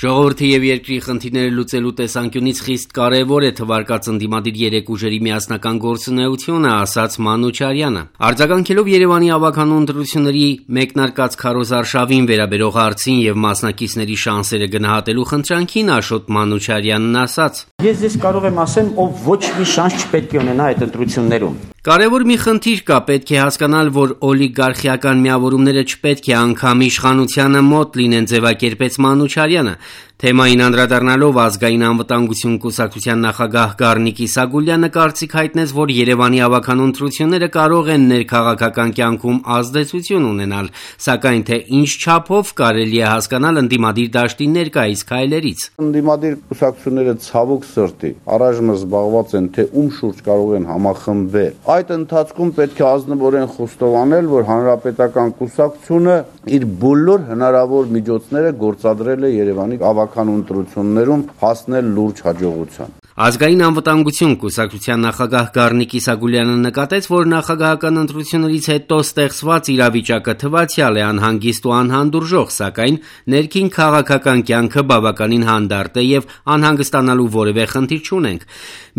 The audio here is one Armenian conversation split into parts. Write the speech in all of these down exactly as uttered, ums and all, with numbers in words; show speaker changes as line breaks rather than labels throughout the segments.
Ժողովրդի եւ երկրի խնդիրները լուծելու տեսանկյունից խիստ կարեւոր է թվարկած ընդդիմադիր երեք ուժերի միասնական գործունեությունը, ասաց Մանուչարյանը։ Արձագանքելով Երևանի ավականու ընտրությունների մեկնարկած քարոզարշավին վերաբերող հարցին եւ մասնակիցների շանսերը գնահատելու խնդրանքին Աշոտ Մանուչարյանն ասաց.
Ես ես կարող եմ ասեմ, ով ոչ մի շանս չպետք է ունենա այդ ընտրություններում։
Կարևոր մի խնդիր կա, պետք է հասկանալ, որ օլիգարխիական միավորումները չպետք է անգամ իշխանությանը մոտ լինեն, ձևակերպեց Մանուչարյանը։ Թեմային անդրադառնալով Ազգային անվտանգություն կուսակցության նախագահ Գառնիկ Իսագուլյանը կարծիք հայտնեց, որ Երևանի ավականու ընտրությունները կարող են ներքաղաքական կյանքում ազդեցություն ունենալ, սակայն թե ինչ չափով կարելի է հասկանալ ընդդիմադիր դաշտի ներկայիս քայլերից։
Ընդդիմադիր կուսակցությունները ցավոք սրտի առայժմ զբաղված են, թե ում շուրջ կարող են համախմբվել։ Այդ ընթացքում պետք է ազնվորեն խոստովանել, որ հանրապետական կուսակցությունը իր բոլոր հնարավոր միջոցները գործադրել է Երևանի ավականու ընտրություններում հասնել լուրջ հաջողության։
Ազգային անվտանգություն կուսակցության նախագահ Գառնիկ Իսագուլյանը նկատեց, որ նախագահական ընտրություններից հետո ստեղծված իրավիճակը թվացյալ է, անհանգիստ ու անհանդուրժող, սակայն ներքին քաղաքական կյանքը բավականին հանդարտ է եւ անհանգստանալու որևէ խնդիր չունենք։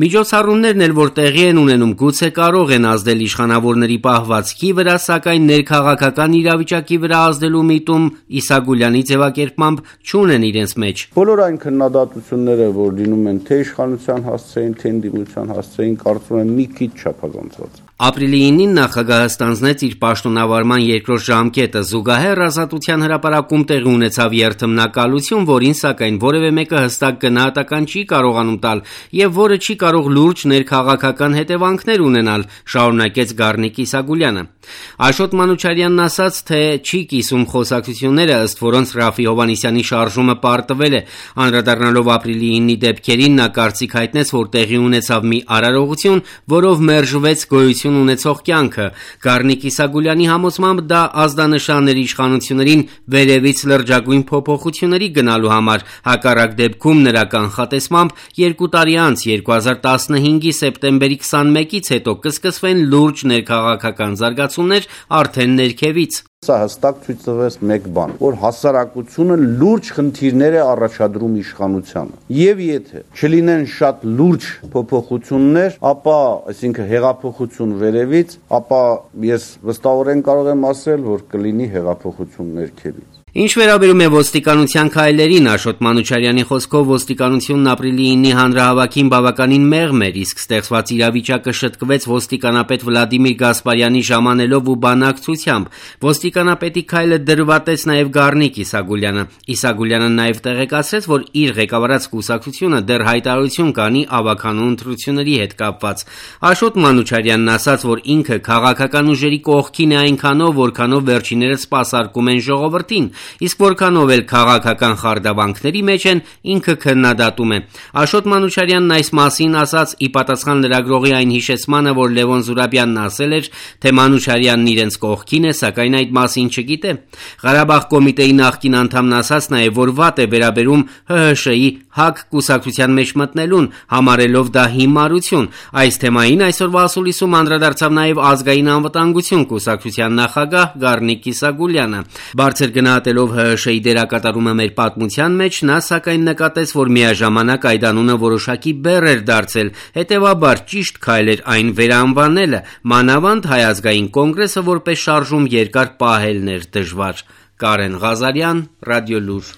Միջոցառումներն էլ որ տեղի են ունենում, գուցե կարող են ազդել իշխանավորների պահվածքի վրա, սակայն ներքաղաքական իրավիճակի վրա ազդելու միտում Իսագուլյանի ձևակերպմամբ չունեն իրենց մեջ։
Բոլոր այն քննադատությունները, որ լինում են թե իշխանության հասցեին, թե ընդդիմության հասցեին, կարծում եմ մի քիչ չափազանցված։
Ապրիլի ինին նախագահը ստանձնեց իր պաշտոնավարման երկրորդ ժամկետը, զուգահեռ Ազատության հրապարակում տեղի ունեցավ երթմնակալություն, որին սակայն որևէ մեկը հստակ գնահատական չի կարողանում տալ եւ որը չի կարող լուրջ ներքաղաքական հետևանքներ ունենալ, շարունակեց Գառնիկ Իսագուլյանը։ Աշոտ Մանուչարյանն ասաց, թե չի կիսում խոսակցությունները, ըստ որոնց Ռաֆի Հովհաննիսյանի շարժումը պարտվել է։ Անդրադառնալով ապրիլի ինի դեպքերին, նա կարծիք հայտնեց, որ տեղի ունեցավ մի արարողություն, որով մերժվեց գոյություն ունեցող կյանքը։ Գառնիկ Իսագուլյանի համոզմամբ դա ազդանշան էր իշխանություններին վերևից լրջագույն փոփոխությունների գնալու համար։ Հակառակ դեպքում նրա կանխատեսմամբ երկու տարի անց երկու հազար տասնհինգի սեպտեմբերի քսանմեկից հետո կսկսվեն լուրջ ներքաղաքական զարգացումներ արդեն ներքևից։
Սա հստակ ցույց տվեց մեկ բան, որ հասարակությունը լուրջ խնդիրներ է առաջադրում իշխանությանը։ Եվ եթե չլինեն շատ լուրջ փոփոխություններ, ապա, այսինքն հեղափոխություն վերևից, ապա ես վստահորեն կարող եմ ասել, որ կլինի հեղափոխություն ներքևից։
Ինչ վերաբերում է ոստիկանության քայլերին, Աշոտ Մանուչարյանի խոսքով ոստիկանությունն ապրիլի ինի հանրահավաքին բավականին մեղմ էր, իսկ ստեղծված իրավիճակը շտկվեց ոստիկանապետ Վլադիմիր Գասպարյանի ժամանելով ու բանակցությամբ։ Ոստիկանապետի քայլը դրվատեց նաև Գառնիկ Իսագուլյանը։ Իսագուլյանը նաև տեղեկացրեց, որ իր ղեկավարած կուսակցությունը դեռ հայտարարություն կանի ավականու ընտրությունների հետ կապված։ Աշոտ Մանուչարյանն ասաց, որ ինքը քաղաքական ուժերի կողքին է այնքանով, որքանով վերջիներս սպասարկում են ժողովրդին, իսկ որքանով էլ քաղաքական խարդավանքների մեջ են, ինքը քննադատում է։ Աշոտ Մանուչարյանն այս մասին ասաց ի պատասխան լրագրողի այն հիշեցմանը, որ Լևոն Զուրաբյանն ասել էր, թե Մանուչարյանն իրենց կողքին է, սակայն այդ մասին չգիտե։ Ղարաբաղ կոմիտեի նախկին անդամն ասաց նաև, որ վատ է վերաբերում ՀՀՇ-ի ՀԱԿ կուսակցության մեջ մտնելուն, համարելով դա հիմարություն։ Այս թեմային այսօրվա ասուլիսում անդրադարձավ նաև Ազգային անվտանգություն կուսակցության նախագահ Գառնիկ Իսագուլյանը։ Բարձր գնահատելով ՀՀՇ-ի դերակատարումը մեր պատմության մեջ, նա սակայն նկատեց, որ միաժամանակ այդ անունը որոշակի բեռ էր դարձել, հետևաբար ճիշտ քայլ էր այն վերանվանելը, մանավանդ Հայ ազգային կոնգրեսը որպես շարժում երկար պահելն էր դժվար։ Կարեն Ղազարյան, Ռադիոլուր։